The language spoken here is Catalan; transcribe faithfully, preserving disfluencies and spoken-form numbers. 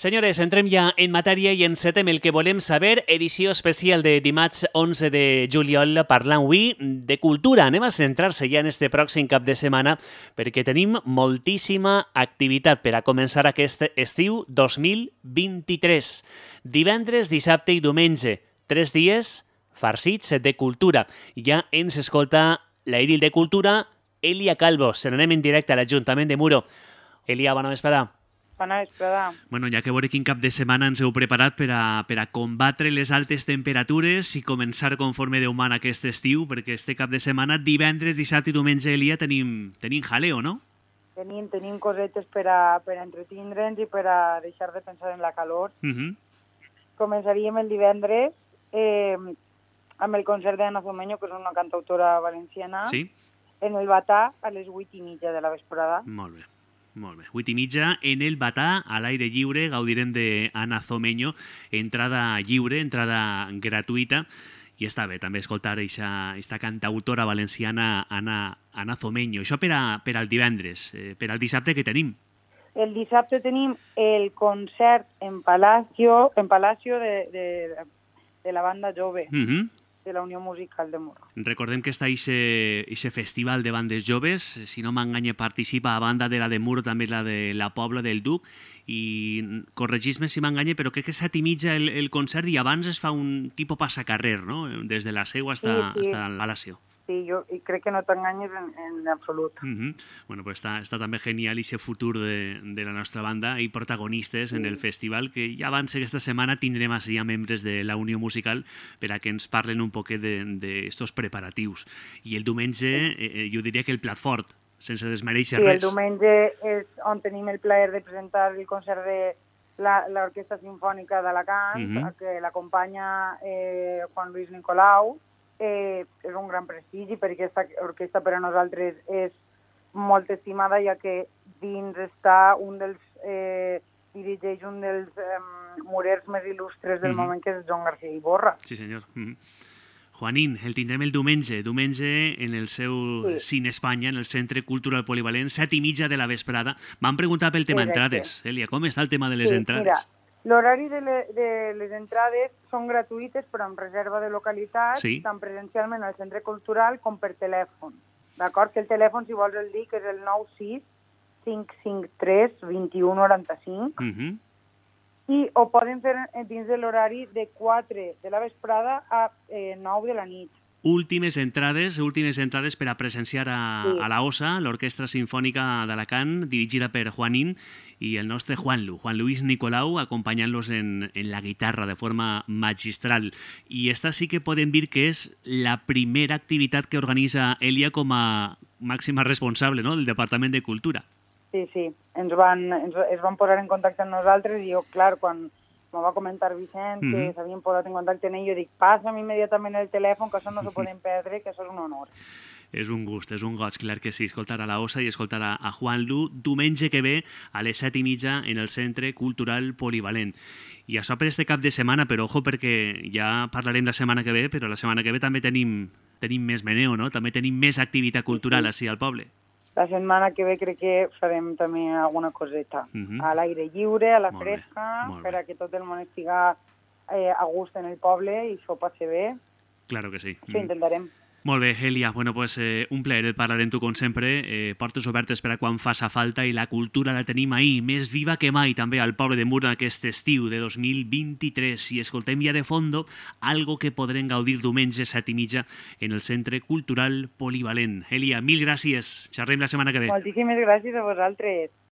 Senyores, entrem ja en matèria i encetem el que volem saber, edició especial de dimarts onze de juliol, parlant avui de cultura. Anem a centrar-se ja en este pròxim cap de setmana perquè tenim moltíssima activitat per a començar aquest estiu dos mil vint-i-tres. Divendres, dissabte i diumenge, tres dies farcits de cultura. Ja ens escolta l'Edil de Cultura, Elia Calvo. Se n'anem en directe a l'Ajuntament de Muro. Elia, bona vesprada. Bona vesprada. Bueno, ja que veure quin cap de setmana ens heu preparat per a, per a combatre les altes temperatures i començar conforme Déu mana aquest estiu, perquè este cap de setmana, divendres, dissabte i diumenge, Elia, tenim, tenim jaleo, no? Tenim, tenim cosetes per a, per a entretindre'ns i per a deixar de pensar en la calor. Uh -huh. Començaríem el divendres eh, amb el concert d'Anna Zomeño, que és una cantautora valenciana, sí? En el Batà a les vuit i mitja de la vesprada. Molt bé. Molt bé. vuit i mitja en el Batà, a l'aire lliure, gaudirem d'Anna Zomeño, entrada lliure, entrada gratuïta, i està bé també escoltar aquesta cantautora valenciana Anna, Anna Zomeño. Això per, a, per al divendres. Eh, per al dissabte, què tenim? El dissabte tenim el concert en Palacio, en Palacio de, de, de la banda jove. Uh -huh. De la Unió Musical de Muro. Recordem que està aquest festival de bandes joves, si no m'enganya participa a banda de la de Muro, també la de la Pobla del Duc, i corregis-me si m'enganya, però crec que set i mitja el, el concert i abans es fa un tipus passacarrer, no? Des de la seu fins sí, sí. al Palacio. Sí, jo i crec que no t'enganyes en, en absolut. Uh -huh. Bueno, pues està, està també genial aquest futur de, de la nostra banda i protagonistes sí. en el festival, que ja abans aquesta setmana tindrem així ja membres de la Unió Musical per a que ens parlen un poquet d'estos preparatius. I el diumenge, sí. eh, jo diria que el plat fort, sense desmereixer sí, res. El diumenge és on tenim el plaer de presentar el concert de l'Orquestra Simfònica d'Alacant, uh -huh. que l'acompanya eh, Juan Luis Nicolau. Eh, és un gran prestigi perquè aquesta orquestra per a nosaltres és molt estimada, ja que dins està un dels eh, dirigeix un dels eh, murers més il·lustres del mm -hmm. moment, que és Joan García Iborra. Sí, senyor. Mm -hmm. Juanín, el tindrem el diumenge, diumenge en el seu sí. Cine Espanya, en el Centre Cultural Polivalent, set i mitja de la vesprada. M'han preguntat pel tema Exacte. entrades. Elia, com està el tema de les sí, entrades? Mira, l'horari de, le, de les entrades són gratuïtes, però amb reserva de localitat, sí. tant presencialment al centre cultural com per telèfon. D'acord? Que el telèfon, si vols el dic, és el nou sis cinc cinc tres dos u nou cinc. Uh -huh. I ho poden fer dins de l'horari de quatre de la vesprada a eh, nou de la nit. Últimes entrades, últimes entrades per a presenciar a, sí. a la O S A, l'Orquestra Simfònica d'Alacant, dirigida per Juanín, i el nostre Juanlu, Juan Luis Nicolau, acompanyant-los en, en la guitarra de forma magistral. I esta sí que podem dir que és la primera activitat que organitza Elia com a màxima responsable, no?, del Departament de Cultura. Sí, sí, ens van, ens, es van posar en contacte amb nosaltres i jo, clar, quan me va comentar Vicent que mm -hmm. s'havien posat en contacte amb ell, jo dic, passa'm immediatament el telèfon, que això no s'ho poden perdre, que això és un honor. És un gust, és un goig, clar que sí, escoltar a la O S A i escoltar a, a Juanlu diumenge que ve a les set i mitja en el Centre Cultural Polivalent. I això per este cap de setmana, però ojo, perquè ja parlarem la setmana que ve, però la setmana que ve també tenim, tenim més meneo, no? També tenim més activitat cultural sí, sí. així al poble. La setmana que ve crec que farem també alguna coseta. Uh -huh. A l'aire lliure, a la molt fresca, bé, per a que tot el món estiga eh, a gust en el poble i això passi bé. Claro que sí. Això intentarem. Molt bé, Elia. Bueno, pues, eh, un plaer el parlar amb tu, com sempre. Eh, portes obertes per a quan faça falta i la cultura la tenim ahí, més viva que mai, també al poble de Muro aquest estiu de dos mil vint-i-tres. I escoltem ja de fondo algo que podrem gaudir diumenge set i mitja en el Centre Cultural Polivalent. Elia, mil gràcies. Xerrem la setmana que ve. Moltíssimes gràcies a vosaltres.